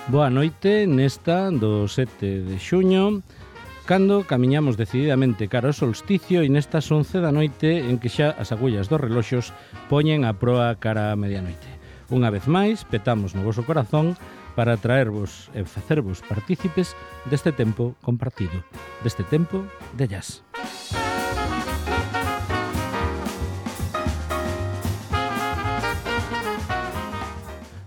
Boa noite nesta do 7 de xuño, cando camiñamos decididamente cara ao solsticio e nestas 11 da noite en que xa as agullas dos reloxos poñen a proa cara a medianoite. Unha vez máis, petamos no voso corazón para traervos e facervos partícipes deste tempo compartido, deste tempo de jazz.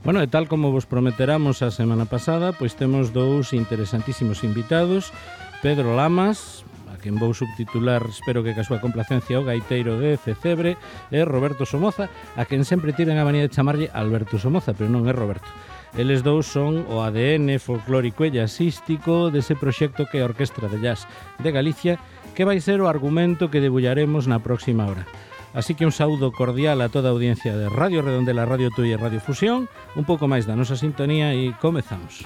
Bueno, e tal como vos prometeramos a semana pasada, pois temos dous interesantísimos invitados, Pedro Lamas, a quen vou subtitular, espero que ca súa complacencia, o gaiteiro de Fecebre, e Roberto Somoza, a quen sempre tiven a manía de chamarlle Alberto Somoza, pero non é Roberto. Eles dous son o ADN folclórico e jazzístico dese proxecto que é a Orquestra de Jazz de Galicia, que vai ser o argumento que debullaremos na próxima hora. Así que un saúdo cordial a toda a audiencia de Radio Redondela, Radio Tui e Radio Fusión, un pouco máis da nosa sintonía e comezamos.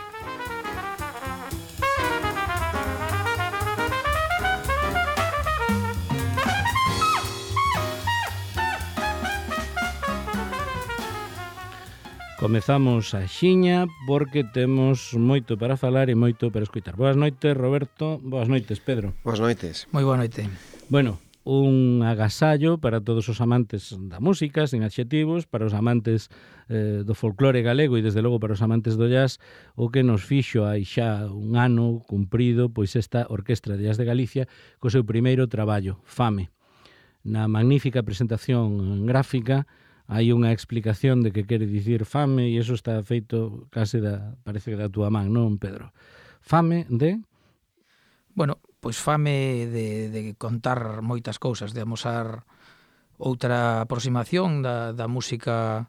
Comezamos a xiña porque temos moito para falar e moito para escutar. Boas noites, Roberto. Boas noites, Pedro. Boas noites. Moi boa noite. Bueno, un agasallo para todos os amantes da música, sin adxetivos, para os amantes do folclore galego e, desde logo, para os amantes do jazz, o que nos fixo hai xa un ano cumprido pois esta Orquestra de Jazz de Galicia co seu primeiro traballo, Fame. Na magnífica presentación gráfica hai unha explicación de que quere dicir fame e iso está feito case parece que da túa man, non, Pedro? Fame de... Bueno, pois fame de contar moitas cousas, de amosar outra aproximación da música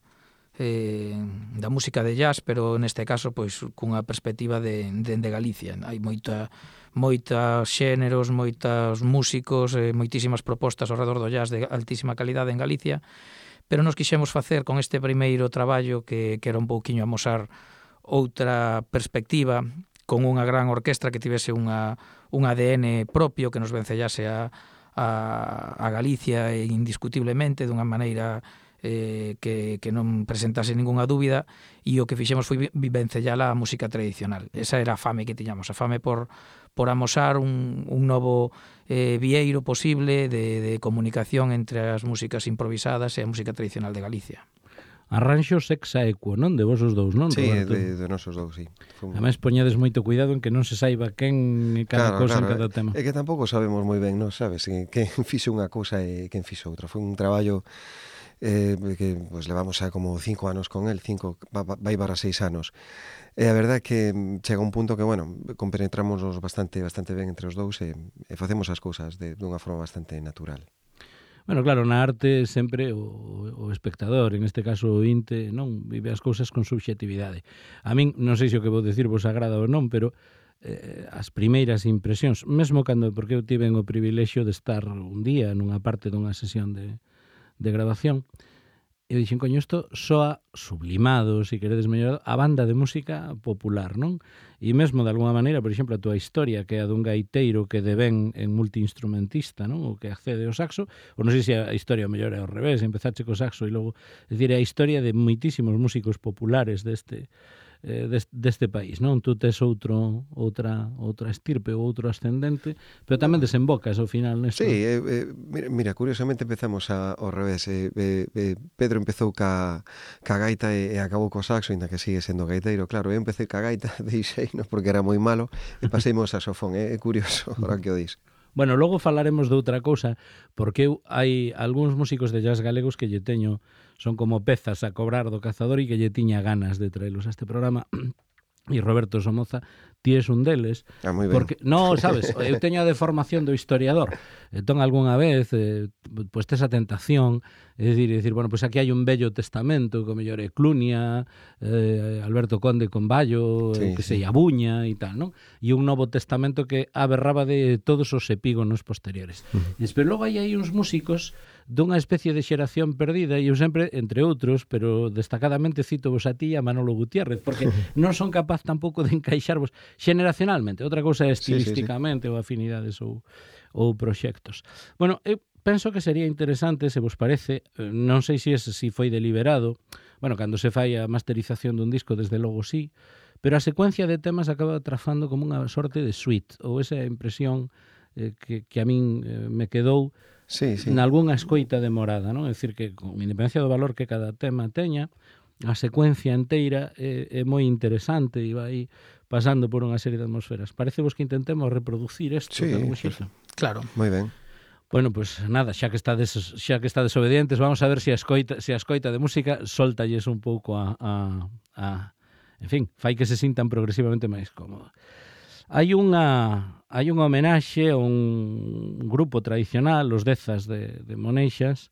de jazz, pero neste caso pois cunha perspectiva de Galicia. Hai moitos xéneros, moitos músicos, moitísimas propostas ao redor do jazz de altísima calidade en Galicia, pero nos quixemos facer con este primeiro traballo que era un pouquiño amosar outra perspectiva con unha gran orquestra que tivese un ADN propio que nos vencellase a Galicia indiscutiblemente dunha maneira que non presentase ningunha dúbida, e o que fixemos foi vencellala a música tradicional. Esa era a fame que tiñamos, a fame por amosar un novo vieiro posible de comunicación entre as músicas improvisadas e a música tradicional de Galicia. Arranxo sexaequo, non? De vos os dous, non, sí, Roberto? Sí, de nosos dous, sí. Ademais, poñades moito cuidado en que non se saiba quen e cada cousa en cada tema. É que tampouco sabemos moi ben, non sabes, quen fixo unha cousa e quen fixo outra. Foi un traballo que pues, levamos xa como 5 anos con el, vai para 6 anos. E a verdade é que chega un punto que, bueno, compenetramos bastante ben entre os dous e facemos as cousas dunha forma bastante natural. Bueno, claro, na arte sempre o espectador, en este caso o ointe, non vive as cousas con subxetividade. A min, non sei se o que vou dicir vos agrada ou non, pero as primeiras impresións, mesmo porque eu tiven o privilexio de estar un día nunha parte dunha sesión de grabación, eu dixen, coño, isto soa sublimado, se queredes mellor, a banda de música popular, non? E mesmo, de alguma maneira, por exemplo, a túa historia, que é a dun gaiteiro que devén en multiinstrumentista, non? O que accede ao saxo, ou non sei se a historia mellor é ao revés, empezache co saxo e logo, é dicir, é a historia de moitísimos músicos populares deste país, non? Tú tes outra estirpe ou outro ascendente, pero tamén desembocas ao final nesto. Sí, mira, curiosamente empezamos ao revés. Pedro empezou ca gaita e acabou co saxo, ainda que sigue sendo gaiteiro. Claro, eu empecé ca gaita, deixeino porque era moi malo, e paseimo ao saxofón. É curioso, ahora que o dis. Bueno, logo falaremos de outra cousa, porque hai algúns músicos de jazz galegos que lle teño, son como pezas a cobrar do cazador e que lle tiña ganas de traelos a este programa. E Roberto Somoza, ti és un deles. Moi ben. Porque, no, sabes, eu teño a deformación do historiador. Entón, algunha vez, pois tes a tentación, é dicir, bueno, pois aquí hai un vello testamento, como mellor é Clunia, Alberto Conde con Ballo, que sei, Abuña e tal, non? E un novo testamento que aberraba de todos os epígonos posteriores. Pero logo hai uns músicos dunha especie de xeración perdida, e eu sempre, entre outros, pero destacadamente cito vos a ti e a Manolo Gutiérrez, porque non son capaz tampouco de encaixarvos xeneracionalmente, outra cousa é estilísticamente, ou afinidades ou proxectos. Bueno, eu penso que sería interesante, se vos parece, non sei se foi deliberado, bueno, cando se fai a masterización dun disco, desde logo sí, pero a secuencia de temas acaba trafando como unha sorte de suite, ou esa impresión que a min me quedou nalgúnha escoita demorada, non? É dicir, que con independencia do valor que cada tema teña, a secuencia inteira é moi interesante e vai pasando por unha serie de atmosferas. Parece vos que intentemos reproducir isto de algún xeito? Claro. Moi ben. Bueno, pues nada, xa que estades obedientes, vamos a ver se a escoita de música soltalles un pouco en fin, fai que se sintan progresivamente máis cómodos. Hai unha homenaxe a un grupo tradicional, os Dezas de Moneixas,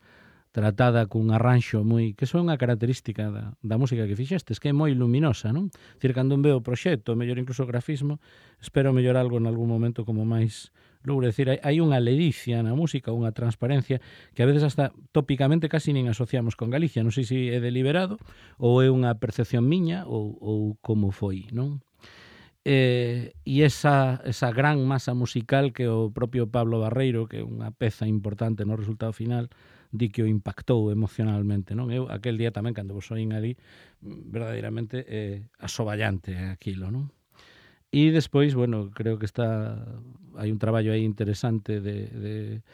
tratada cun arranxo moi, que son unha característica da música que fixestes, que é moi luminosa, non? Dicir, cando veo o proxecto, mellor incluso o grafismo, espero mellor algo en algún momento como máis louro. Decir, hai unha ledicia na música, unha transparencia que a veces hasta tópicamente casi nin asociamos con Galicia. Non sei se é deliberado ou é unha percepción miña ou como foi, non? E esa gran masa musical que o propio Pablo Barreiro, que é unha peza importante no resultado final, di que o impactou emocionalmente, non? Eu aquel día tamén, cando vos oín ali, verdadeiramente asoballante aquilo, non? E despois, bueno, creo que hai un traballo aí interesante de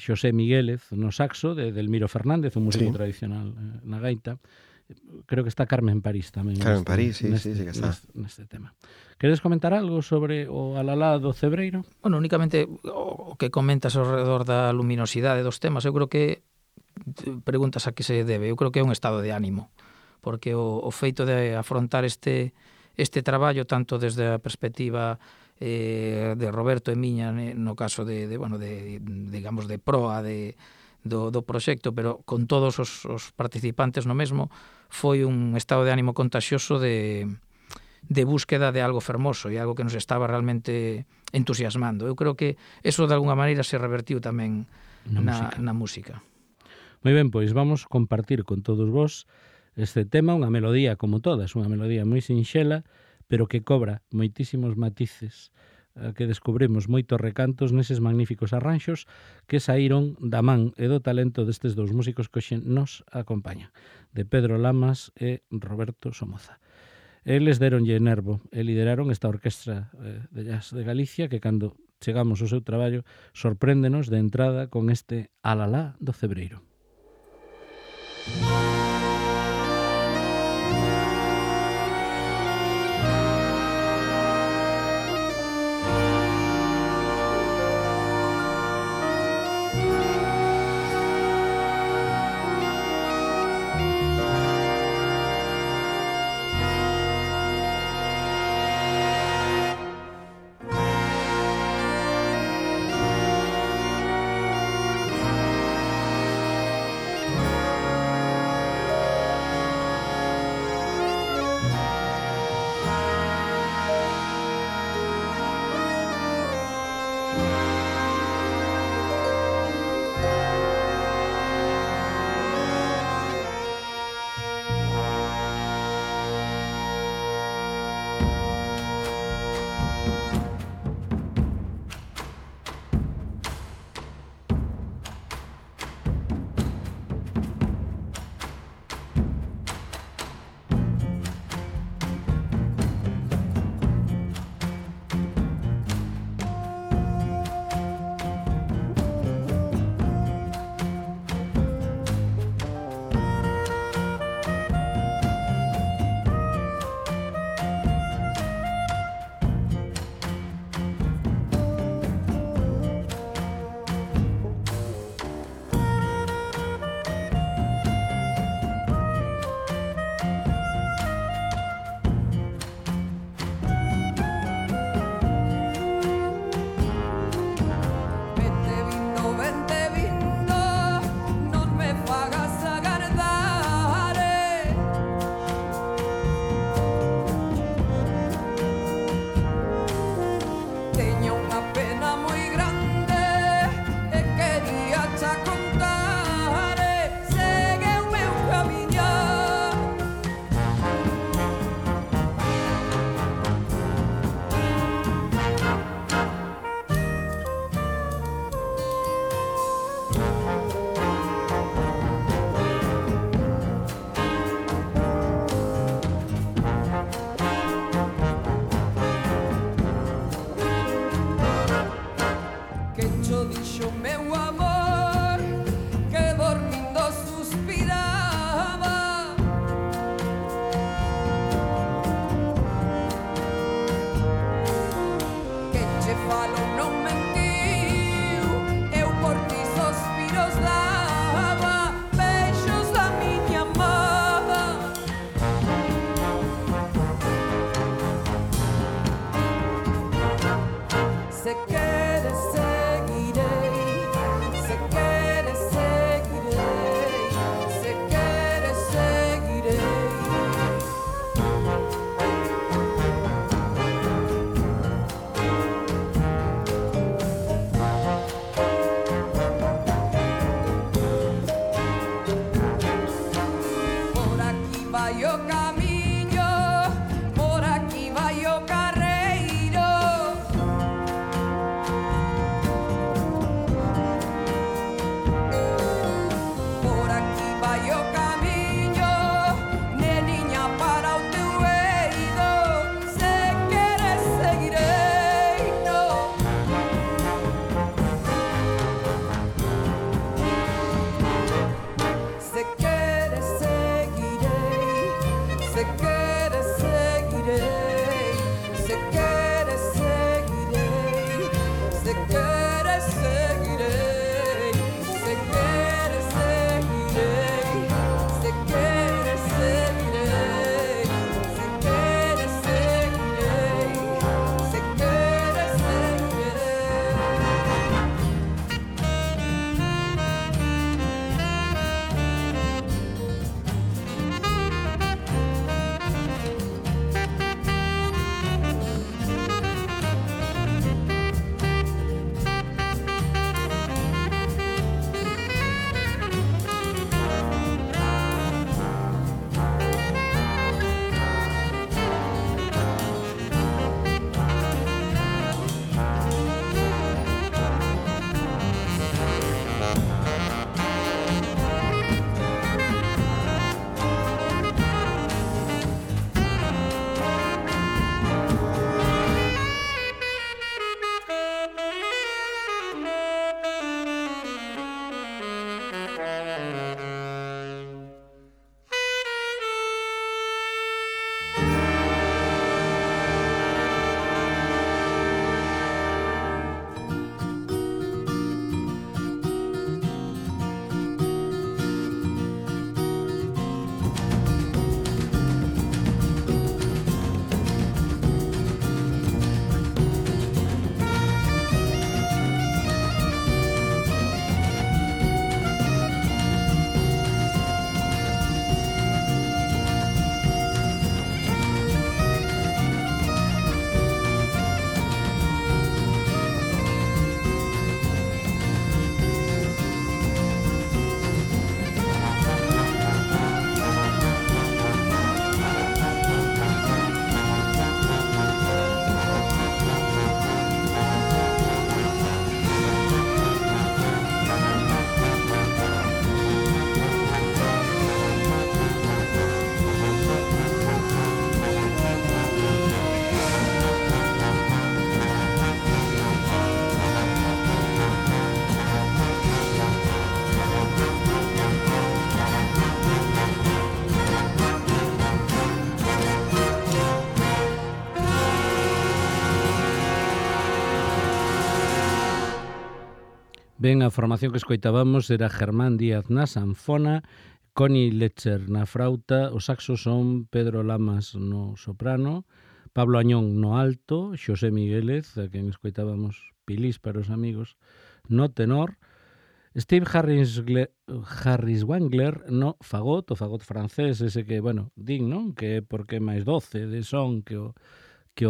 Xosé Miguélez no saxo, de Delmiro Fernández, un músico tradicional na gaita. Creo que está Carmen París tamén. Carmen París, sí que está. Neste tema. Queres comentar algo sobre o Alalá do Cebreiro? Bueno, únicamente o que comentas ao redor da luminosidade dos temas, eu creo que preguntas a que se debe. Eu creo que é un estado de ánimo, porque o feito de afrontar este traballo tanto desde a perspectiva de Roberto e miña, no caso digamos de proa do proxecto, pero con todos os participantes no mesmo, foi un estado de ánimo contaxioso de búsqueda de algo fermoso e algo que nos estaba realmente entusiasmando. Eu creo que eso de alguna maneira se revertiu tamén na música. Moi ben, pois vamos compartir con todos vos este tema, unha melodía como todas, unha melodía moi sinxela, pero que cobra moitísimos matices, que descubrimos moitos recantos neses magníficos arranxos que saíron da man e do talento destes dous músicos que hoxe nos acompañan, de Pedro Lamas e Roberto Somoza. Eles deronlle nervo e lideraron esta orquestra de jazz de Galicia que cando chegamos ao seu traballo sorpréndenos de entrada con este Alalá do Cebreiro. vai o camiño, por aquí vai o carreiro. Por aquí vai o camiño, neniña, para o teu eido. Se queres seguirei, no. Se queres seguirei, se queres seguirei, se queres seguirei, se queres seguirei, se queres seguirei, se queres seguirei, se queres seguirei, se queres seguirei. Ben, a formación que escoitábamos era Germán Díaz na sanfona, Connie Letcher na frauta, os saxos son Pedro Lamas no soprano, Pablo Añón no alto, Xosé Miguélez, a quen escoitábamos Pilís para os amigos, no tenor, Steve Harris Wangler no fagot, o fagot francés, ese que, bueno, din, non? Que é porque é máis doce de son que o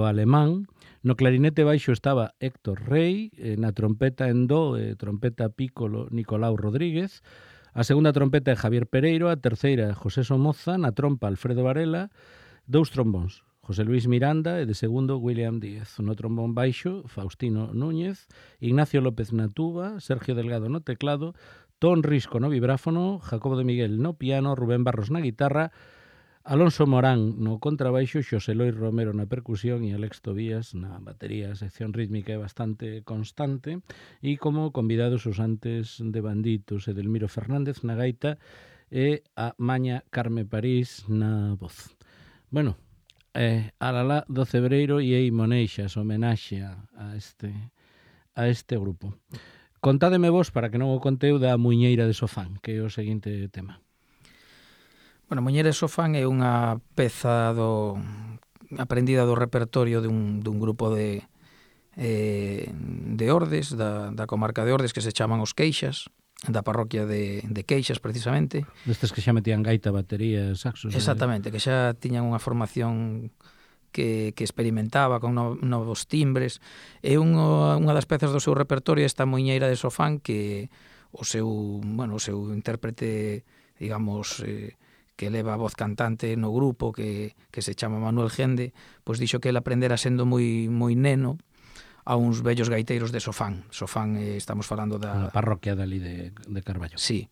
alemán. No clarinete baixo estaba Héctor Rey, na trompeta en do, trompeta piccolo Nicolau Rodríguez, a segunda trompeta é Javier Pereiro, a terceira José Somoza, na trompa Alfredo Varela, dous trombóns, José Luis Miranda e de segundo William Díez. No trombón baixo, Faustino Núñez, Ignacio López na tuba, Sergio Delgado no teclado, Ton Risco no vibráfono, Jacobo de Miguel no piano, Rubén Barros na guitarra, Alonso Morán no contrabaixo, Xosé Lois Romero na percusión e Alex Tobías na batería. A sección rítmica é bastante constante e como convidados os antes de Banditos e Delmiro Fernández na gaita e a Maña Carme París na voz. Bueno, Alalá do Cebreiro e Ei Moneixas, homenaxe a este grupo. Contádeme vos, para que non o conteu, da Muiñeira de Sofán, que é o seguinte tema. Bueno, Muñeira de Sofán é unha peza aprendida do repertorio dun grupo de Ordes, da comarca de Ordes, que se chaman Os Queixas, da parroquia de Queixas, precisamente. Destes que xa metían gaita, batería, saxos. Exactamente, que xa tiñan unha formación que experimentaba con novos timbres. É unha das pezas do seu repertorio, esta Muiñeira de Sofán, que o seu intérprete, digamos, que leva a voz cantante no grupo, que se chama Manuel Gende, pois dixo que ele aprendera sendo moi neno a uns vellos gaiteiros de Sofán. Sofán, estamos falando da parroquia dali de Carballo. Sí.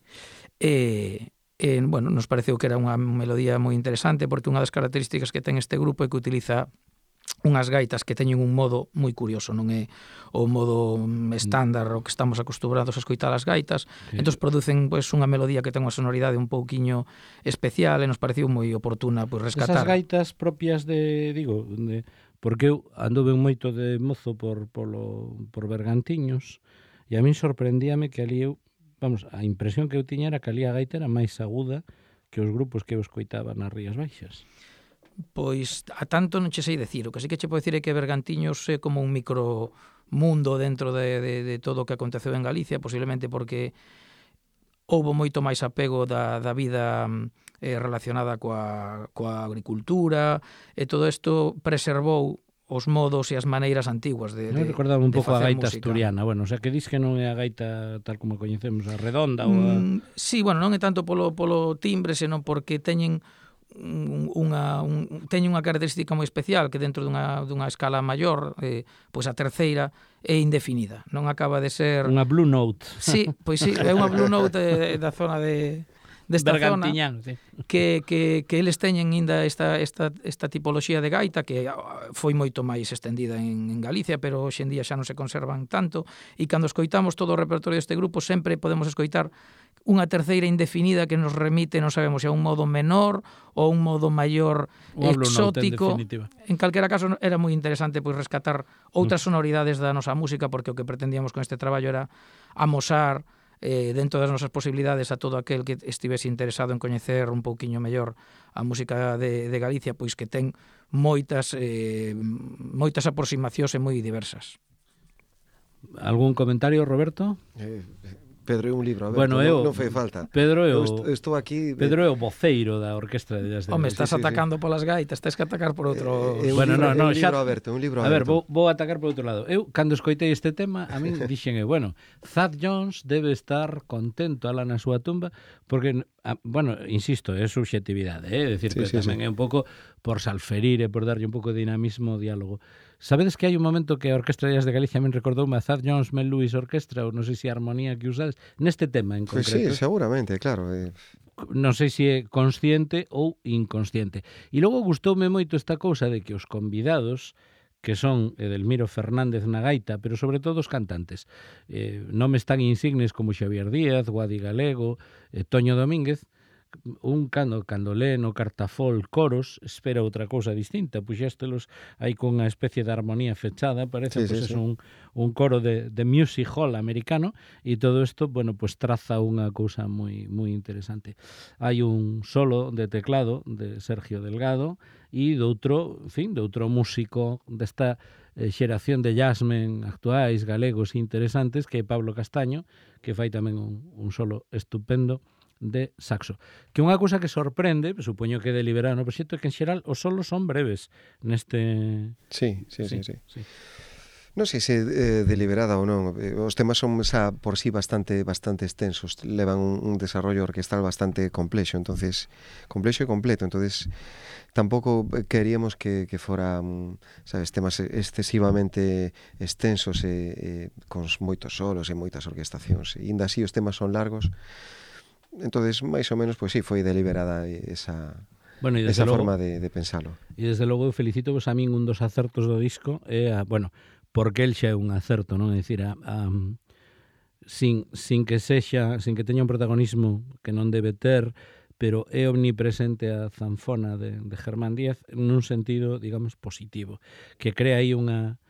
Bueno, nos pareceu que era unha melodía moi interesante, porque unha das características que ten este grupo é que utiliza unhas gaitas que teñen un modo moi curioso, non é o modo estándar o que estamos acostumbrados a escoitar as gaitas, entón producen pois unha melodía que ten unha sonoridade un pouquiño especial e nos pareceu moi oportuna pois rescatar. Esas gaitas propias porque eu anduve moito de mozo por Bergantiños e a min sorprendíame que ali a impresión que eu tiña era que ali a gaita era máis aguda que os grupos que eu escoitaba nas Rías Baixas. Pois a tanto non che sei decir, o que sí que che podo decir é que Bergantiños é como un micromundo dentro de todo o que aconteceu en Galicia, posiblemente porque houbo moito máis apego da vida relacionada coa agricultura, e todo isto preservou os modos e as maneiras antiguas de facer música. Recordaba un pouco a gaita asturiana, bueno, o sea, que dis que non é a gaita tal como a coñecemos, a redonda ou a... Sí, bueno, non é tanto polo timbre, senón porque teñen unha característica moi especial, que dentro dunha escala maior, pois a terceira é indefinida, non acaba de ser... Unha Blue Note. Sí, pois sí, é unha Blue Note da zona desta zona, sí. que eles teñen ainda esta tipoloxía de gaita que foi moito máis estendida en Galicia, pero hoxe en día xa non se conservan tanto, e cando escoitamos todo o repertorio deste grupo sempre podemos escoitar unha terceira indefinida que nos remite, non sabemos se a un modo menor ou un modo maior exótico. En calquera caso era moi interesante pois rescatar outras sonoridades da nosa música, porque o que pretendíamos con este traballo era amosar dentro das nosas posibilidades a todo aquel que estivese interesado en coñecer un pouquiño mellor a música de Galicia, pois que ten moitas aproximacións e moi diversas. Algún comentario, Roberto? Pedro é un libro, a ver, bueno, non fai falta. Pedro é o voceiro da Orquestra de Jazz de Home, estás atacando polas gaitas, tens que atacar por outro... Bueno, un libro aberto. A ver, vou atacar por outro lado. Eu, cando escoitei este tema, a min dixen, bueno, Thad Jones debe estar contento alá na súa tumba, porque, bueno, insisto, é subxetividade, é dicir, que tamén é un pouco por salferir e por darlle un pouco de dinamismo ao diálogo. Sabedes que hai un momento que a Orquestra de Jazz de Galicia me recordoume a Thad Jones Mel Lewis Orquestra, ou non sei se a armonía que usades, neste tema en concreto. Pues sí, seguramente, claro. Non sei se é consciente ou inconsciente. E logo gustoume moito esta cousa de que os convidados, que son Edelmiro Fernández na gaita, pero sobre todo os cantantes, nomes tan insignes como Xavier Díaz, Guadi Galego, Toño Domínguez, un cando lee no cartafol coros, espera outra cousa distinta, puxéstelos aí con unha especie de armonía fechada, parece un coro de music hall americano, e todo isto, bueno, pues traza unha cousa moi moi interesante. Hai un solo de teclado de Sergio Delgado e de outro músico desta xeración de jazzmen actuais, galegos e interesantes, que é Pablo Castaño, que fai tamén un solo estupendo de saxo. Que unha cousa que sorprende, supoño que deliberado no proxecto, é que en xeral os solos son breves neste... Sí. Non sei se deliberada ou non. Os temas son xa por sí bastante extensos, levan un desarrollo orquestal bastante complexo, entonces complexo e completo, entonces tampouco queríamos que fora, sabes, temas excesivamente extensos e con moitos solos e moitas orquestacións. E ainda así os temas son largos. Entonces, máis ou menos, pois sí, foi deliberada esa forma de pensalo. E desde logo eu felicito vos a min un dos acertos do disco é porque el xa é un acerto, non? É dicir, sin que teña un protagonismo que non debe ter, pero é omnipresente a zanfona de Germán Díaz nun sentido, digamos, positivo, que crea aí unha...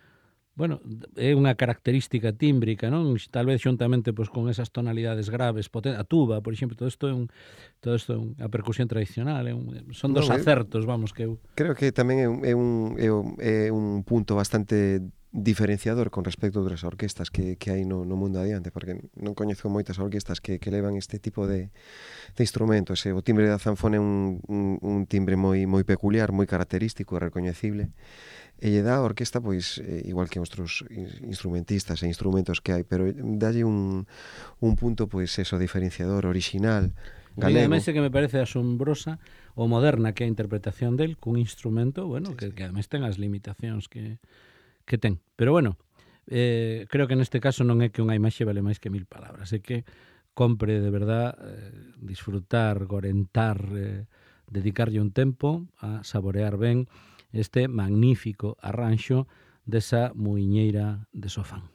Bueno, é unha característica tímbrica, non? Tal vez xuntamente pois, con esas tonalidades graves, a tuba, por exemplo, todo isto é unha percusión tradicional, son dos acertos, vamos, que eu... Creo que tamén é un punto bastante diferenciador con respecto a outras orquestas que hai no mundo adiante, porque non coñezo moitas orquestas que levan este tipo de instrumentos. O timbre da zanfona é un timbre moi peculiar, moi característico e recoñecible. E lle dá a orquesta, pois, igual que outros instrumentistas e instrumentos que hai, pero dalle un punto, pois, eso, diferenciador, orixinal, galego. Ademais, que me parece asombrosa o moderna que é a interpretación del cun instrumento, bueno, que ademais ten as limitacións que ten. Pero bueno, creo que neste caso non é que unha imaxe vale máis que 1000 palabras, é que compre de verdad disfrutar, gorentar, dedicarlle un tempo a saborear ben este magnífico arranxo desa muiñeira de Sofán.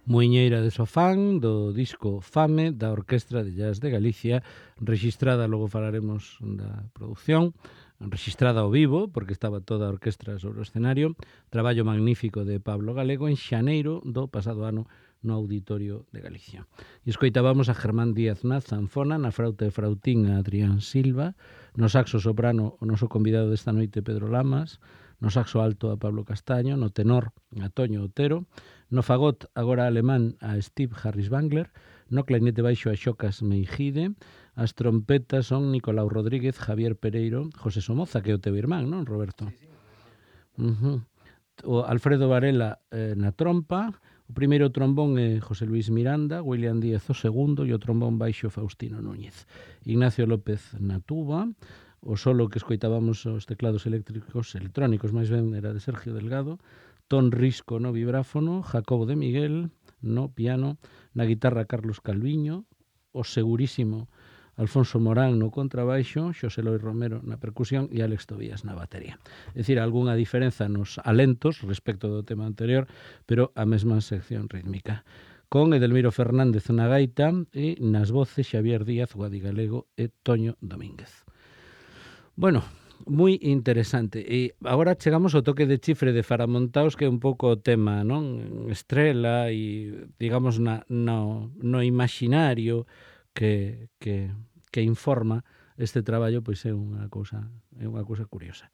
Muiñeira de Sofán, do disco Fame, da Orquestra de Jazz de Galicia, rexistrada, logo falaremos da produción, rexistrada ao vivo, porque estaba toda a orquestra sobre o escenario, traballo magnífico de Pablo Galego en xaneiro do pasado ano no Auditorio de Galicia. E escoitábamos a Germán Díaz na zanfona, na frauta e frautín a Adrián Silva, no saxo soprano o noso convidado desta noite Pedro Lamas, no saxo alto a Pablo Castaño, no tenor a Toño Otero, no fagot agora alemán a Steve Harris Bangler, no clarinete baixo a Xocas Meijide, as trompetas son Nicolau Rodríguez, Javier Pereiro, José Somoza, que é o teu irmán, non, Roberto? Sí, sí. O Alfredo Varela na trompa, o primeiro trombón é José Luis Miranda, William Díaz o segundo e o trombón baixo Faustino Núñez. Ignacio López na tuba, o solo que escoitábamos os teclados electrónicos, máis ben era de Sergio Delgado, Ton Risco no vibráfono, Jacobo de Miguel no piano, na guitarra Carlos Calviño, o segurísimo Alfonso Morán no contrabaixo, Xosé Loi Romero na percusión e Álex Tobías na batería. É dicir, algunha diferenza nos alentos respecto do tema anterior, pero a mesma sección rítmica. Con Edelmiro Fernández na gaita e nas voces Xavier Díaz, Guadi Galego e Toño Domínguez. Bueno, moi interesante. E agora chegamos ao toque de chifre de Faramontaos, que é un pouco o tema, non? Estrela e, digamos, no imaginario que informa este traballo, pois é unha cousa curiosa.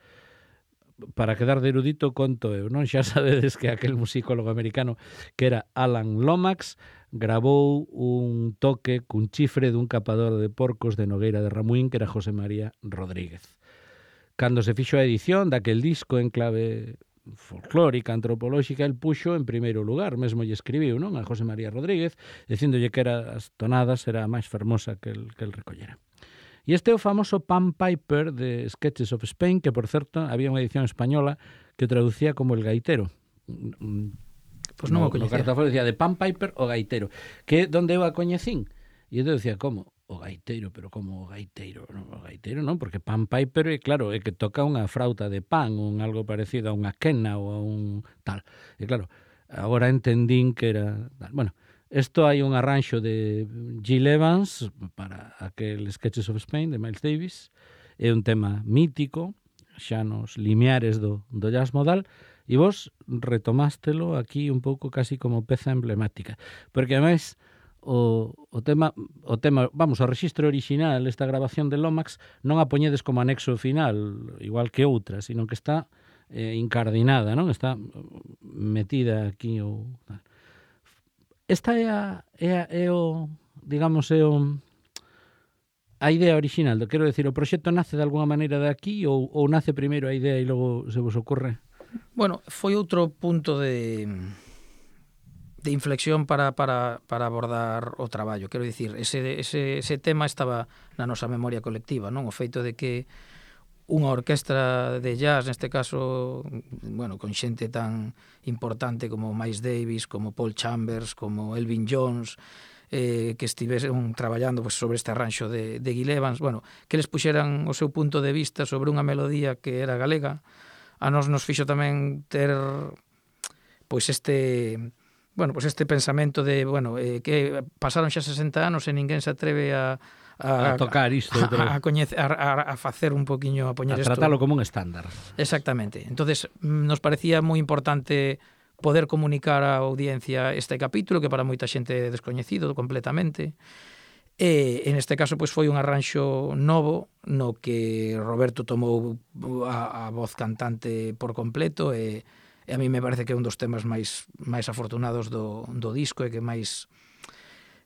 Para quedar de erudito, conto eu, non? Xa sabedes que aquel musicólogo americano que era Alan Lomax gravou un toque cun chifre dun capador de porcos de Nogueira de Ramuín, que era José María Rodríguez. Cando se fixo a edición daquel disco en clave folclórica, antropolóxica, el puxo en primeiro lugar, mesmo lle escribiu, non, a José María Rodríguez, dicíndolle que as tonadas era a máis fermosa que el recollera. E este é o famoso Pan Piper de Sketches of Spain, que, por certo, había unha edición española que o traducía como El Gaitero. Pois non o coñecía. No cartafón decía de Pan Piper o Gaitero, que donde eu a coñecín. E eu decía, como? O gaiteiro, pero como o gaiteiro? Non, o gaiteiro non, porque Pan Piper é, claro, é que toca unha frauta de pan, un algo parecido a unha quena ou a un tal. E claro, agora entendín que era tal. Bueno, isto hai un arranxo de Gil Evans para aquel Sketches of Spain de Miles Davis, é un tema mítico, xa nos limiares do jazz modal, e vos retomástelo aquí un pouco casi como peza emblemática, porque ademais o tema, vamos, o rexistro original, esta grabación de Lomax, non a poñedes como anexo final, igual que outra, sino que está incardinada, non? Está metida aquí ou tal. Esta é o, digamos, é o a idea original, quero decir, o proxecto nace de alguna maneira de aquí ou nace primeiro a idea e logo se vos ocorre? Bueno, foi outro punto de inflexión para abordar o traballo. Quero dicir, ese tema estaba na nosa memoria colectiva, non? O feito de que unha orquestra de jazz, neste caso, bueno, con xente tan importante como Miles Davis, como Paul Chambers, como Elvin Jones, que estivesen traballando pues, sobre este arranxo de Gil Evans, bueno, que les puxeran o seu punto de vista sobre unha melodía que era galega, a nos fixo tamén ter pois este pensamento de, bueno, que pasaron xa 60 anos e ninguén se atreve a tocar isto, a facer un poquinho, a poñer isto, a tratarlo como un estándar. Exactamente. Entonces, nos parecía moi importante poder comunicar á audiencia este capítulo, que para moita xente é descoñecido completamente. E, en este caso, pois foi un arranxo novo no que Roberto tomou a voz cantante por completo e a mí me parece que é un dos temas máis afortunados do disco e que máis...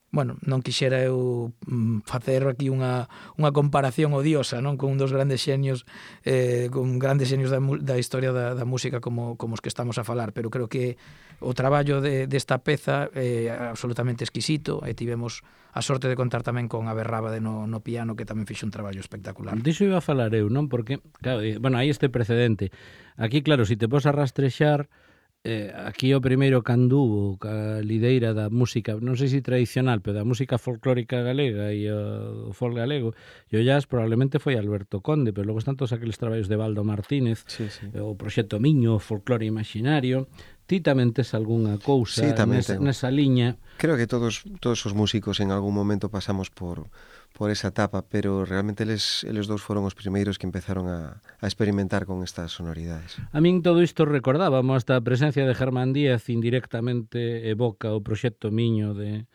Bueno, non quixera eu facer aquí unha comparación odiosa, non, con un dos grandes xenios da historia da música como os que estamos a falar, pero creo que o traballo desta peza é absolutamente exquisito e tivemos a sorte de contar tamén con Abe Rábade no piano, que tamén fixo un traballo espectacular. Diso iba a falar eu, non? Porque, claro, bueno, hai este precedente. Aquí, claro, se te pos a rastrexar, aquí o primeiro canduvo ca lideira da música, non sei se tradicional, pero da música folclórica galega e o folk galego e o jazz probablemente foi Alberto Conde, pero logo están todos aqueles traballos de Baldo Martínez, o Proxecto Miño, o folclore imaginario. Ti tamén tes algunha cousa nesa liña? Creo que todos os músicos en algún momento pasamos por esa etapa, pero realmente eles dous foron os primeiros que empezaron a experimentar con estas sonoridades. A min todo isto recordábamos, hasta a presencia de Germán Díaz indirectamente evoca o Proxecto Miño de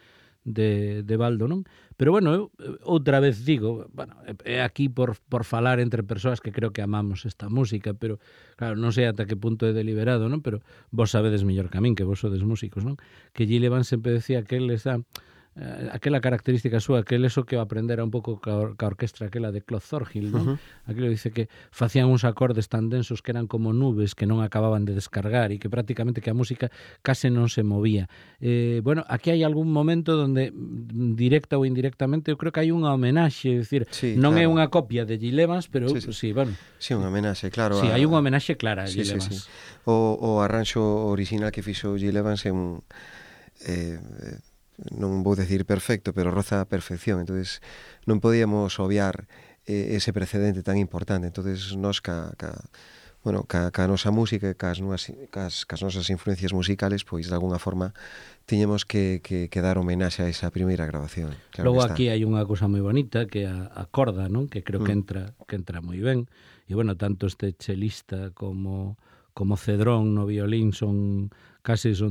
Baldo, non? Pero bueno, eu outra vez digo, bueno, é aquí por falar entre persoas que creo que amamos esta música, pero claro, non sei ata que punto é deliberado, non? Pero vos sabedes mellor que a min, que vos sodes músicos, non? Que Gil Evans sempre decía que él está... aquela característica súa, que eso que o aprendera un pouco ca orquestra aquela de Claude Thorhill, non? Aquilo dice que facían uns acordes tan densos que eran como nubes que non acababan de descargar e que prácticamente que a música case non se movía. Bueno, aquí hai algún momento donde directa ou indirectamente eu creo que hai unha homenaxe, é dicir, non é unha copia de Gil Evans, pero sí, bueno. Sí, unha homenaxe, claro. Sí, hai unha homenaxe clara a Gil Evans. O arranxo original que fixo Gil Evans é un... non vou decir perfecto, pero roza a perfección, entonces non podíamos obviar ese precedente tan importante. Entonces nós ca nosa música e cas nosas influencias musicales, pois de alguna forma tiñemos que dar homenaxe a esa primeira grabación. Claro. Logo aquí hai unha cousa moi bonita que é a corda, non? Que creo que entra moi ben. E bueno, tanto este chelista como Cedrón no violín son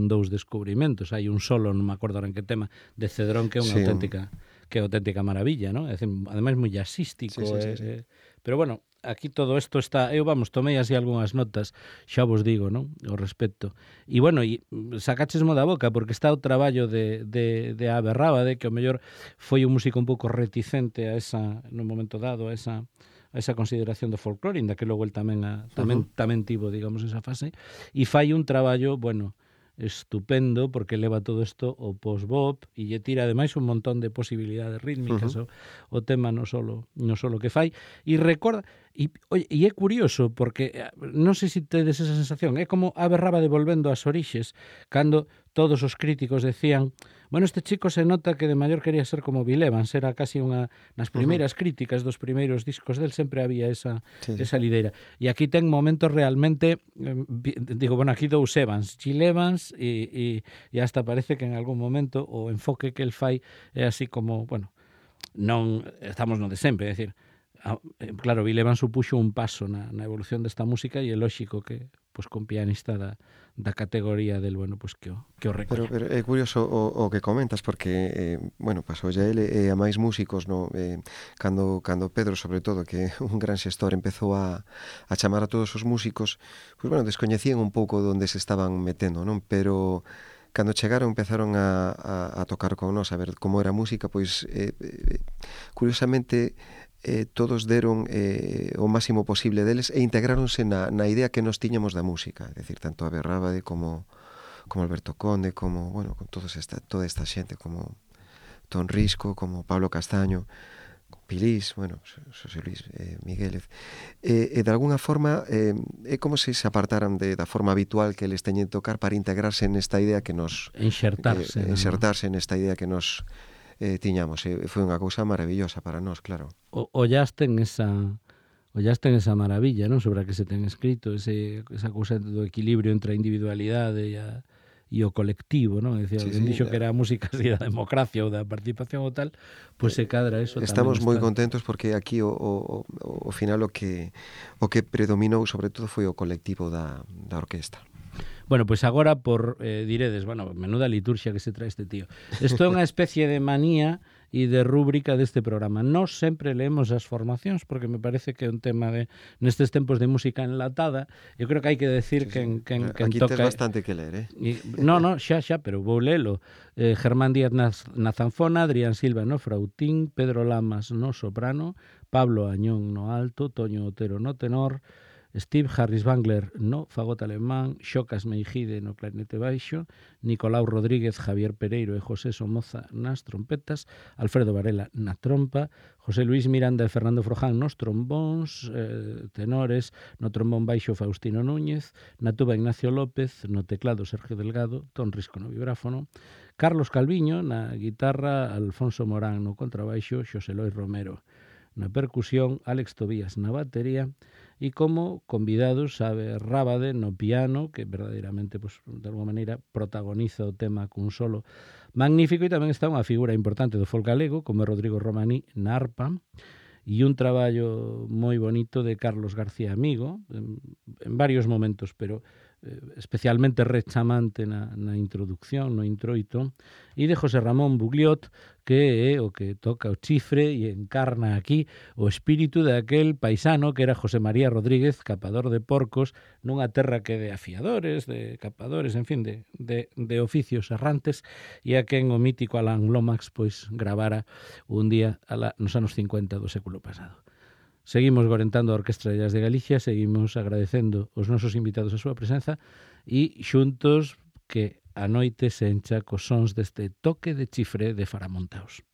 dous descubrimentos. Hai un solo, non me acordo en que tema, de Cedrón que é unha auténtica maravilla, non? É dicir, ademais moi jazzístico. Pero bueno, aquí todo isto está... Eu, tomei así algunhas notas, xa vos digo, non? O respecto. E bueno, sacachesmo da boca, porque está o traballo de Abe Rábade, que o mellor foi un músico un pouco reticente a esa, no momento dado, a esa consideración do folclore, inda que logo el tamén tivo, digamos, esa fase, e fai un traballo, bueno, estupendo, porque leva todo isto o post-bop e lle tira ademais un montón de posibilidades rítmicas o tema non solo que fai, e recorda e é curioso porque non sei se tedes esa sensación, é como Abe Rábade volvendo ás orixes, cando todos os críticos decían, bueno, este chico se nota que de maior quería ser como Gil Evans, era casi nas primeiras críticas dos primeiros discos del sempre había esa lideira. E aquí ten momentos realmente, digo, bueno, aquí dous Evans, Gil Evans e hasta parece que en algún momento o enfoque que el fai é así como, bueno, non estamos no de sempre, é dicir, claro, Gil Evans supuxo un paso na evolución desta música e é lóxico que pois con pianista da categoría del, bueno, pois que o recoña. Pero é curioso o que comentas porque, bueno, pasou a ele e a máis músicos, no? Cando Pedro, sobre todo, que é un gran xestor, empezou a chamar a todos os músicos, pois, bueno, descoñecían un pouco onde se estaban metendo, non? Pero cando chegaron empezaron a tocar con nós, a ver como era a música, pois curiosamente todos deron o máximo posible deles e integráronse na idea que nos tiñamos da música, é dicir, tanto Abe Rábade como como Alberto Conde, como, bueno, con toda esta xente, como Ton Risco, como Pablo Castaño, Pilís, bueno, Xosé Luis Miguélez, de alguna forma é como se apartaran da forma habitual que eles teñen de tocar para integrarse nesta idea que nos insertarse nesta idea que nos tiñamos. Foi unha cousa maravillosa para nós, claro. Ollaste en esa maravilla, non, sobre a que se ten escrito, esa cousa do equilibrio entre a individualidade e o colectivo, non? Decía, alguén dixo que era a música así da democracia ou da participación ou tal, pois se cadra eso tamén. Estamos moi contentos porque aquí o final o que predominou sobre todo foi o colectivo da orquesta. Bueno, pois agora diredes, bueno, menuda liturxia que se trae este tío. Isto é unha especie de manía e de rúbrica deste programa. Nós sempre leemos as formacións porque me parece que é un tema nestes tempos de música enlatada. Eu creo que hai que decir que aquí toca... tes bastante que ler, No, xa, pero vou lelo. Germán Díaz na zanfona, Adrián Silva no frautín, Pedro Lamas no soprano, Pablo Añón no alto, Toño Otero no tenor, Steve Harris Bangler no fagot alemán, Xocas Meijide no clarinete baixo, Nicolau Rodríguez, Javier Pereiro e José Somoza nas trompetas, Alfredo Varela na trompa, José Luis Miranda e Fernando Froján nos trombóns, tenores, no trombón baixo Faustino Núñez, na tuba Ignacio López, no teclado Sergio Delgado, Ton Risco no vibráfono, Carlos Calviño na guitarra, Alfonso Morán no contrabaixo, Xosé Lois Romero na percusión, Alex Tobías na batería e como convidados Sabe Rábade no piano, que verdadeiramente, pues, de alguma maneira protagoniza o tema cun solo magnífico, e tamén está unha figura importante do folk galego como Rodrigo Romaní na arpa e un traballo moi bonito de Carlos García Amigo en varios momentos, pero especialmente rechamante na introducción, no introito, e de José Ramón Bugliot, que é o que toca o chifre e encarna aquí o espírito daquel paisano que era José María Rodríguez, capador de porcos, nunha terra que de afiadores, de capadores, en fin, de oficios errantes, e a quen o mítico Alan Lomax pois gravara un día nos anos 50 do século pasado. Seguimos gorentando a Orquestra de Jazz de Galicia, seguimos agradecendo os nosos invitados a súa presenza e xuntos que a noite se encha cos sons deste toque de chifre de Faramontaos.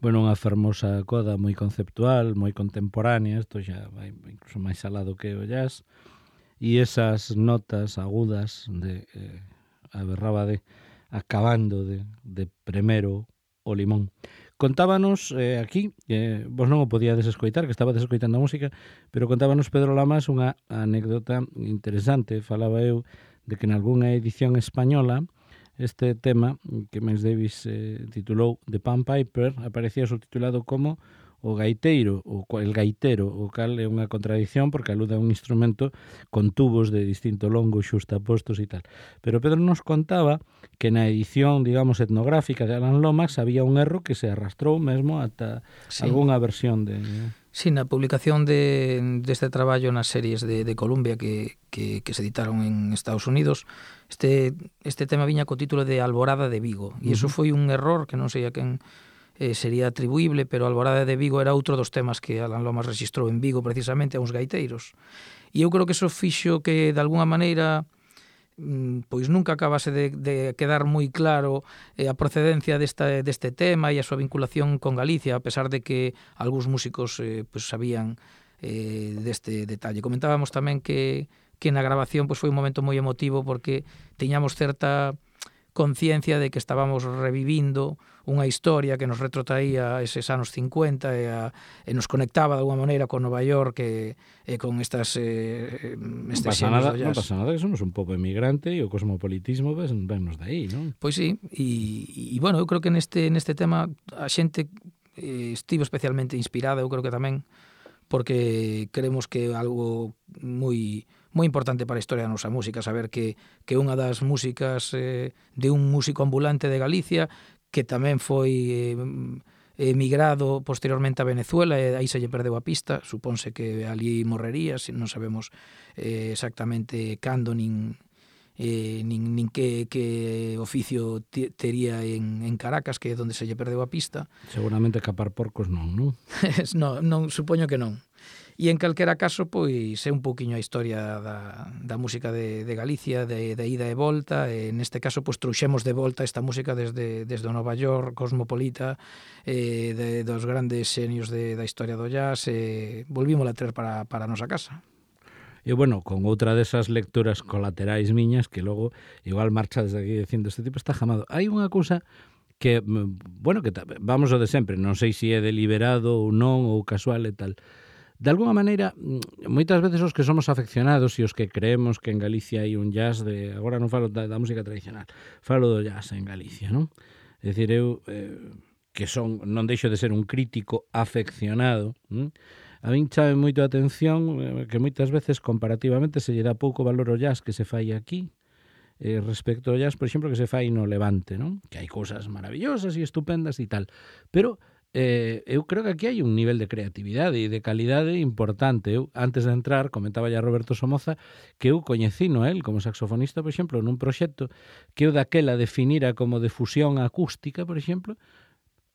Bueno, unha fermosa coda moi conceptual, moi contemporánea, isto xa vai incluso máis alado que o jazz, e esas notas agudas de a Berrábade acabando de primero o limón. Contábanos aquí, vos non o podíades escoitar, que estabades escoitando a música, pero contábanos Pedro Lamas unha anécdota interesante. Falaba eu de que en algunha edición española este tema que Miles Davis titulou The Pan Piper aparecía subtitulado como o gaiteiro, el gaitero, o cal é unha contradicción porque alude a un instrumento con tubos de distinto longo xustapostos e tal. Pero Pedro nos contaba que na edición, digamos, etnográfica de Alan Lomax había un erro que se arrastrou mesmo ata algunha versión de... Sí, na publicación deste traballo nas series de Columbia que se editaron en Estados Unidos, este tema viña co título de Alborada de Vigo, e iso foi un error que non sei a quen sería atribuible, pero Alborada de Vigo era outro dos temas que Alan Lomas registrou en Vigo precisamente a uns gaiteiros. E eu creo que iso fixo que de alguna maneira pois nunca acabase de quedar moi claro a procedencia deste tema e a súa vinculación con Galicia, a pesar de que algúns músicos pois sabían deste detalle. Comentábamos tamén que na grabación pois foi un momento moi emotivo porque tiñamos certa conciencia de que estábamos revivindo unha historia que nos retrotraía eses anos 50 e nos conectaba de alguma maneira con Nova York e con estes xenos do jazz. Non pasa nada, que somos un pobo emigrante e o cosmopolitismo vennos de aí, non? Pois sí, e bueno, eu creo que neste tema a xente estivo especialmente inspirada, eu creo que tamén porque creemos que é algo moi importante para a historia da nosa música, saber que unha das músicas de un músico ambulante de Galicia que tamén foi emigrado posteriormente a Venezuela e aí se lle perdeu a pista, supónse que ali morrería, non sabemos exactamente cando nin que oficio tería en Caracas, que é onde se lle perdeu a pista. Seguramente capar porcos non? non, supoño que non. E en calquera caso, pois é un pouquiño a historia da música de Galicia, de ida e volta, e neste caso, pois trouxemos de volta esta música desde o Nova York cosmopolita, dos grandes xenios da historia do jazz, e volvímola a traer para a nosa casa. E, bueno, con outra desas lecturas colaterais miñas que logo igual marcha desde aquí dicindo este tipo está jamado. Hai unha cousa que, bueno, que vamos ao de sempre, non sei se é deliberado ou non, ou casual e tal. De alguna maneira, moitas veces os que somos afeccionados e os que creemos que en Galicia hai un jazz de... Agora non falo da música tradicional, falo do jazz en Galicia, non? É dicir, eu que non deixo de ser un crítico afeccionado, a min chame moito a atención que moitas veces comparativamente se lle dá pouco valor ao jazz que se fai aquí respecto ao jazz, por exemplo, que se fai no Levante, non? Que hai cousas maravillosas e estupendas e tal, pero eu creo que aquí hai un nivel de creatividade e de calidade importante. Eu, antes de entrar, comentaba ya Roberto Somoza que eu coñecino el como saxofonista, por exemplo, nun proxecto que eu daquela definira como de fusión acústica, por exemplo.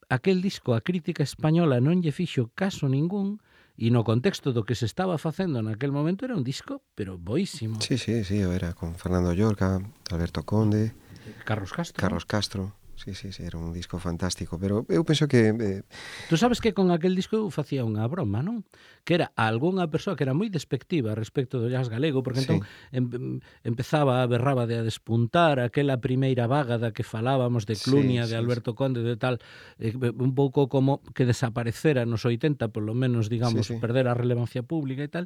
Aquel disco, a crítica española non lle fixo caso ningún, e no contexto do que se estaba facendo naquel momento era un disco, pero boísimo. Sí, eu era con Fernando Llorca, Alberto Conde, Carlos Castro. Sí, era un disco fantástico, pero eu penso que... Tú sabes que con aquel disco eu facía unha broma, non? Que era algunha persoa que era moi despectiva respecto do jazz galego, porque entón empezaba a Berrábade a despuntar aquela primeira vaga da que falábamos de Clunia, de Alberto Conde, de tal, un pouco como que desaparecera nos 80, polo menos, digamos, perder a relevancia pública e tal.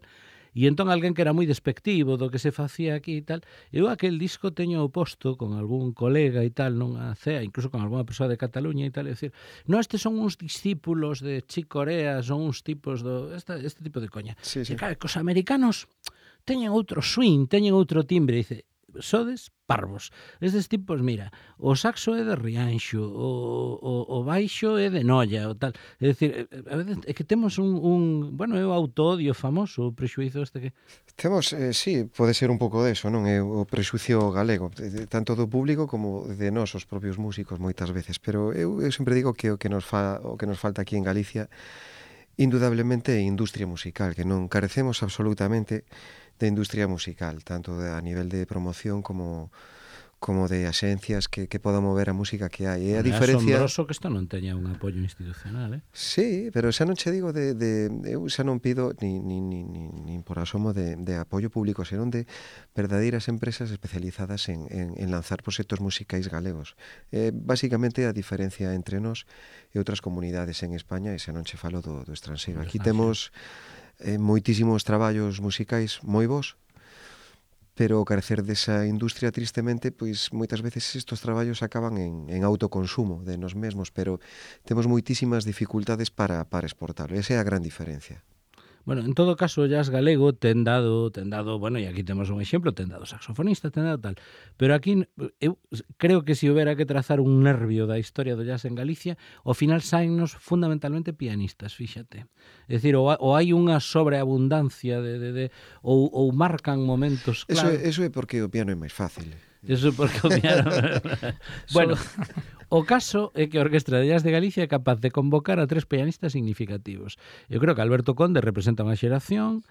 E entón alguén que era moi despectivo do que se facía aquí e tal, eu aquel disco teño posto con algún colega e tal, non a CEA, incluso con algunha persoa de Cataluña e tal, e dicir, non, estes son uns discípulos de Chick Corea, son uns tipos este tipo de coña. E claro, que os americanos teñen outro swing, teñen outro timbre, e dice, sodes parvos. Estes tipos, mira, o saxo é de Rianxo, o baixo é de Noia, o tal. É dicir, a veces é que temos bueno, é o autoodio famoso, o prexuízo este que... Temos, sí, pode ser un pouco deso, non? É o prexuicio galego, tanto do público como de nós, os propios músicos, moitas veces. Pero eu sempre digo que o que nos falta aquí en Galicia indudablemente é industria musical, que non carecemos absolutamente de industria musical, tanto a nivel de promoción como como de axencias que podan mover a música que hai. E a É diferencia... asombroso que isto non teña un apoio institucional, Sí, pero xa non che digo eu xa non pido nin por asomo de apoio público, senón de verdadeiras empresas especializadas en lanzar proxectos musicais galegos. Básicamente a diferencia entre nós e outras comunidades en España, e xa non che falo do estranxeiro. Aquí temos moitísimos traballos musicais moi bons, pero o carecer desa industria, tristemente, pois moitas veces estos traballos acaban en autoconsumo de nos mesmos, pero temos moitísimas dificultades para exportar. Esa é a gran diferencia. Bueno, en todo caso, o jazz galego ten dado, bueno, e aquí temos un exemplo, ten dado saxofonista, ten dado tal. Pero aquí, eu creo que se houbera que trazar un nervio da historia do jazz en Galicia, ao final saennos fundamentalmente pianistas, fíxate. É dicir, ou hai unha sobreabundancia ou marcan momentos claros. Eso é porque o piano é máis fácil. Eso porque o piano... Bueno, o caso é que a Orquestra de Jazz de Galicia é capaz de convocar a 3 pianistas significativos. Eu creo que Alberto Conde representa unha xeración,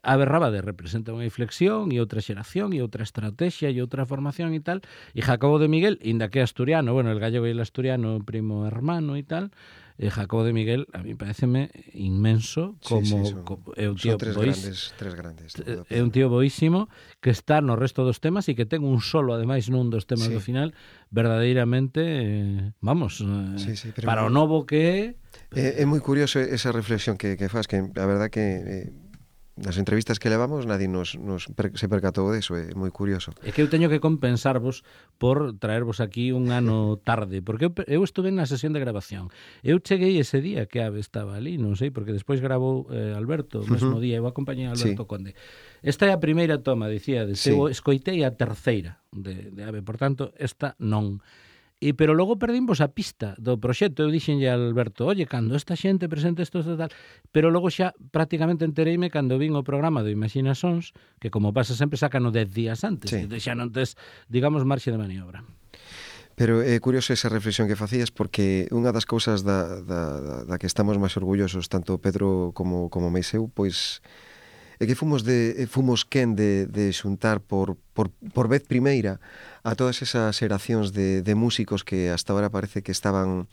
Abe Rábade representa unha inflexión e outra xeración e outra estrategia e outra formación e tal, e Jacobo de Miguel, inda que é asturiano, bueno, el gallego e el asturiano primo hermano e tal, Jacobo de Miguel a mí pareceme inmenso como é un tío tres grandes. É un tío boísimo que está no resto dos temas e que ten un solo ademais nun dos temas do final verdadeiramente para o novo que é moi curioso esa reflexión que faz, que a verdad que nas entrevistas que levamos nadie se percatou deso, é moi curioso. É que eu teño que compensarvos por traervos aquí un ano tarde, porque eu estuve na sesión de grabación. Eu cheguei ese día que Abe estaba ali, non sei, porque despois grabou Alberto, o mesmo día, eu acompañei a Alberto Conde. Esta é a primeira toma, dicíades, eu escoitei a terceira de Abe, por tanto, esta non. Pero logo perdimos a pista do proxecto. Eu dixenlle a Alberto, oye, cando esta xente presente isto tal, pero logo xa prácticamente entereime cando vin o programa do Imagina Sons, que como pasa sempre sacano 10 días antes, e xa non tes, digamos, marxe de maniobra. Pero é curioso esa reflexión que facías, porque unha das cousas da que estamos máis orgullosos, tanto Pedro como Meiseu, pois é que fomos quen de xuntar por vez primeira a todas esas xeracións de músicos que hasta ahora parece que estaban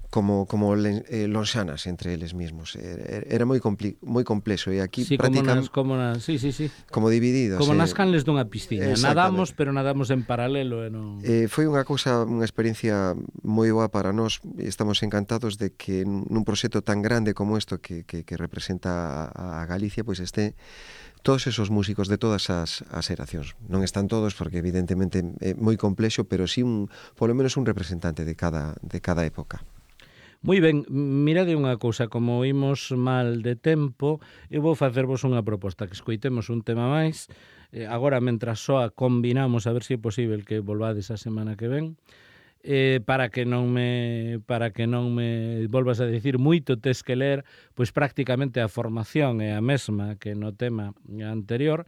como lonxanas entre eles mesmos. Era moi complexo, e aquí prácticamente como divididos. Como nas canles dunha piscina. Nadamos, pero nadamos en paralelo. Foi unha experiencia moi boa para nós. Estamos encantados de que nun proxecto tan grande como isto que representa a Galicia, pois este todos esos músicos de todas as xeracións. Non están todos porque evidentemente é moi complexo, pero sí polo menos un representante de cada época. Moi ben, mirade unha cousa, como imos mal de tempo, eu vou facervos unha proposta, que escoitemos un tema máis, agora mentras soa combinamos a ver se é posible que volvades a semana que ven, para que non me volvas a dicir moito tes que ler, pois prácticamente a formación é a mesma que no tema anterior,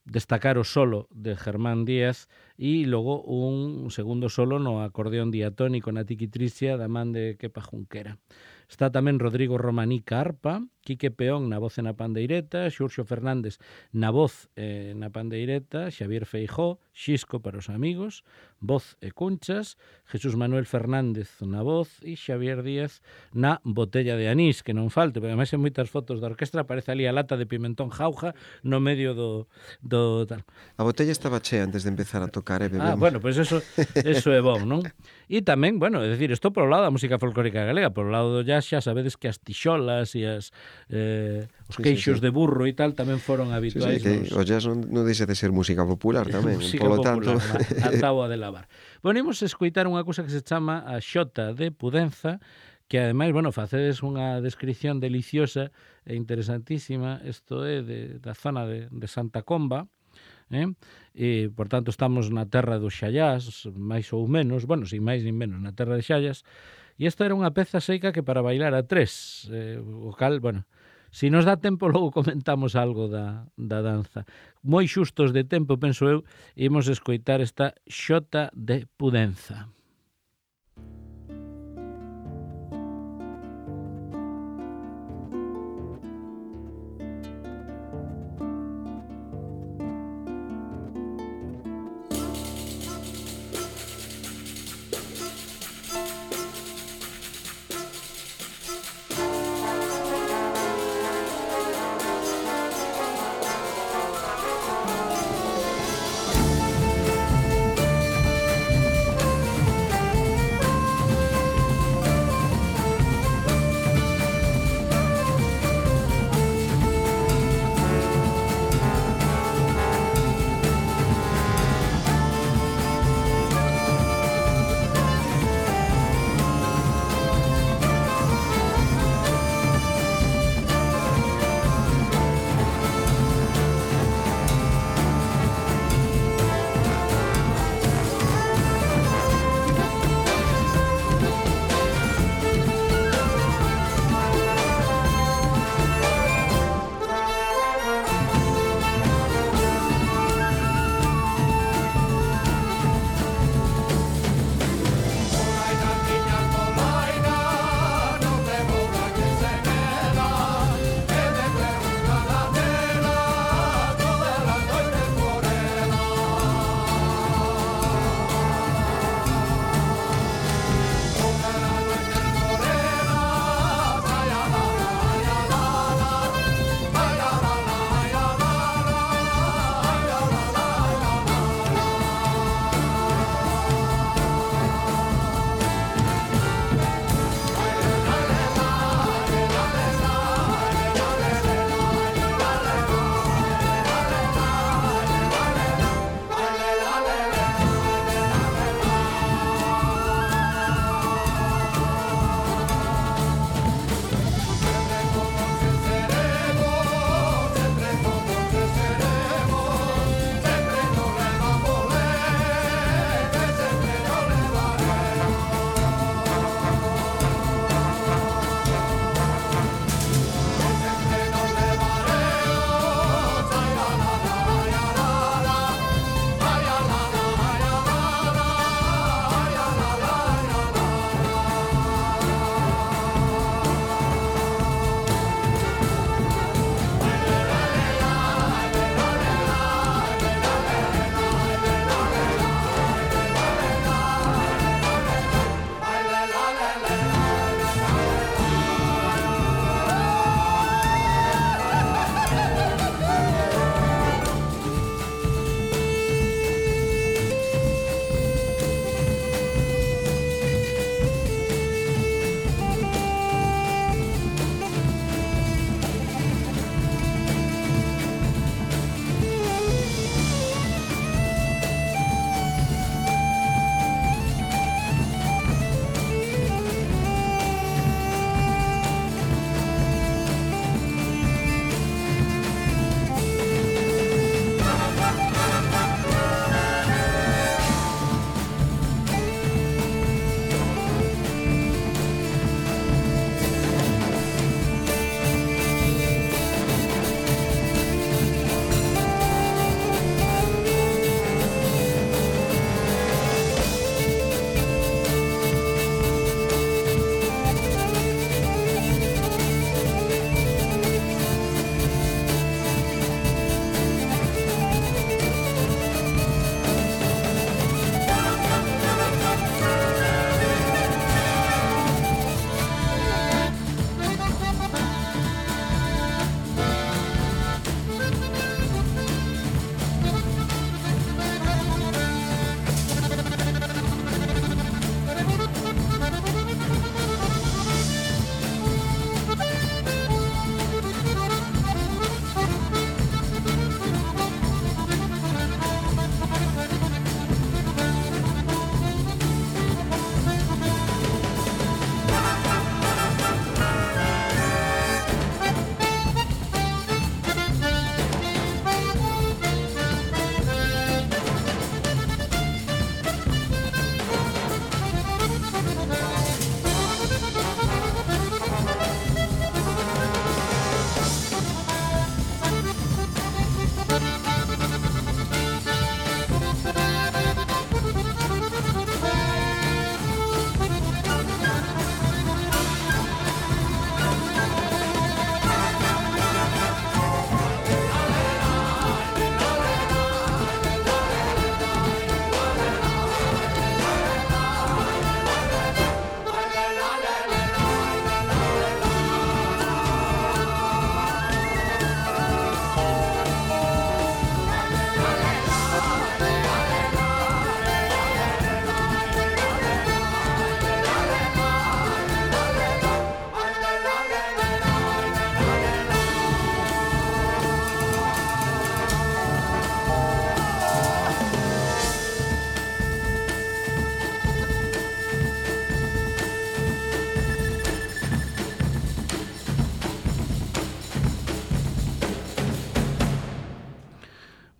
destacar o solo de Germán Díaz e logo un segundo solo no acordeón diatónico na tiquitricia da man de Kepa Junquera. Está tamén Rodrigo Romaní arpa, Quique Peón na voz e na pandeireta, Xurxo Fernández na voz e na pandeireta, Xavier Feijó, Xisco para os amigos, voz e cunchas, Jesús Manuel Fernández na voz e Xavier Díaz na botella de anís, que non falte, porque ademais en moitas fotos da orquestra aparece ali a lata de pimentón jauja no medio do tal. A botella estaba chea antes de empezar a tocar, bebemos. Bueno, pois eso é bon, non? E tamén, bueno, é dicir, isto polo lado da música folclórica galega, polo lado do jazz xa sabedes que as tixolas e os queixos de burro e tal tamén foron habituais. O jazz non deixa de ser música popular tamén, música popular, a táboa de lavar. Bueno, imos escoitar unha cousa que se chama a xota de Pudenza, que ademais, bueno, facedes unha descripción deliciosa e interesantísima. Isto é da zona de Santa Comba, e, por tanto, estamos na terra dos xallás, máis ou menos, bueno, sin máis nin menos, na terra de xallas, e esta era unha peza seica que para bailar a 3, o cal, bueno, si nos dá tempo, logo comentamos algo da danza. Moi xustos de tempo, penso eu, imos escoitar esta xota de Pudenza.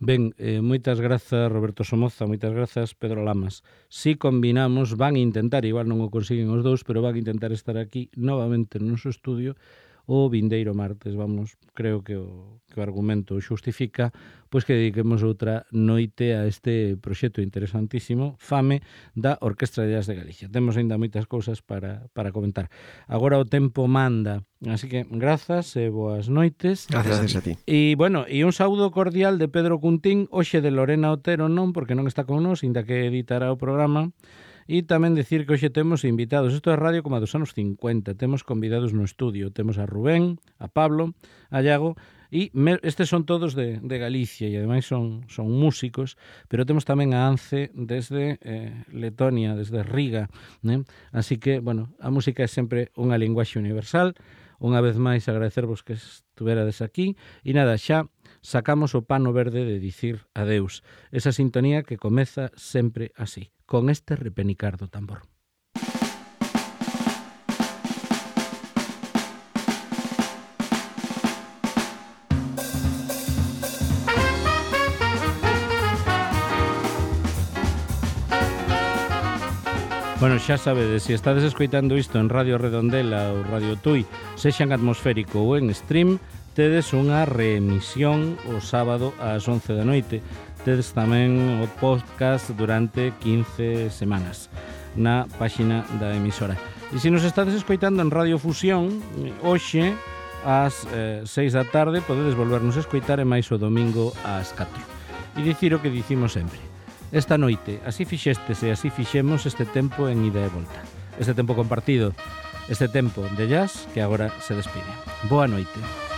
Ben, moitas grazas Roberto Somoza, moitas grazas Pedro Lamas. Si combinamos, van intentar, igual non o consiguen os dous, pero van intentar estar aquí novamente no noso estudio o vindeiro martes, vamos, creo que o argumento xustifica, pois que dediquemos outra noite a este proxecto interesantísimo, Fame, da Orquestra de Jazz de Galicia. Temos ainda moitas cousas para comentar. Agora o tempo manda, así que grazas e boas noites. Gracias a ti. E, bueno, e un saúdo cordial de Pedro Cuntín, hoxe de Lorena Otero non, porque non está con nós, inda que editará o programa. E tamén decir que hoxe temos invitados, isto é radio como a dos anos 50, temos convidados no estudio, temos a Rubén, a Pablo, a Iago, e estes son todos de Galicia e ademais son músicos, pero temos tamén a Ance desde Letonia, desde Riga, né? Así que, bueno, a música é sempre unha linguaxe universal. Unha vez máis agradecervos que estuverades aquí e nada, xa sacamos o pano verde de dicir adeus, esa sintonía que comeza sempre así, con este repenicar do tambor. Bueno, xa sabedes, se estades escoitando isto en Radio Redondela ou Radio Tui, sexa en atmosférico ou en stream, tedes unha reemisión o sábado ás 11 da noite. Tedes tamén o podcast durante 15 semanas na páxina da emisora. E se nos estades escoitando en Radio Fusión, hoxe ás 6 da tarde podedes volvernos a escoitar e máis o domingo ás 4. E dicir o que dicimos sempre. Esta noite, así fixestes e así fixemos este tempo en ida e volta. Este tempo compartido, este tempo de jazz que agora se despide. Boa noite.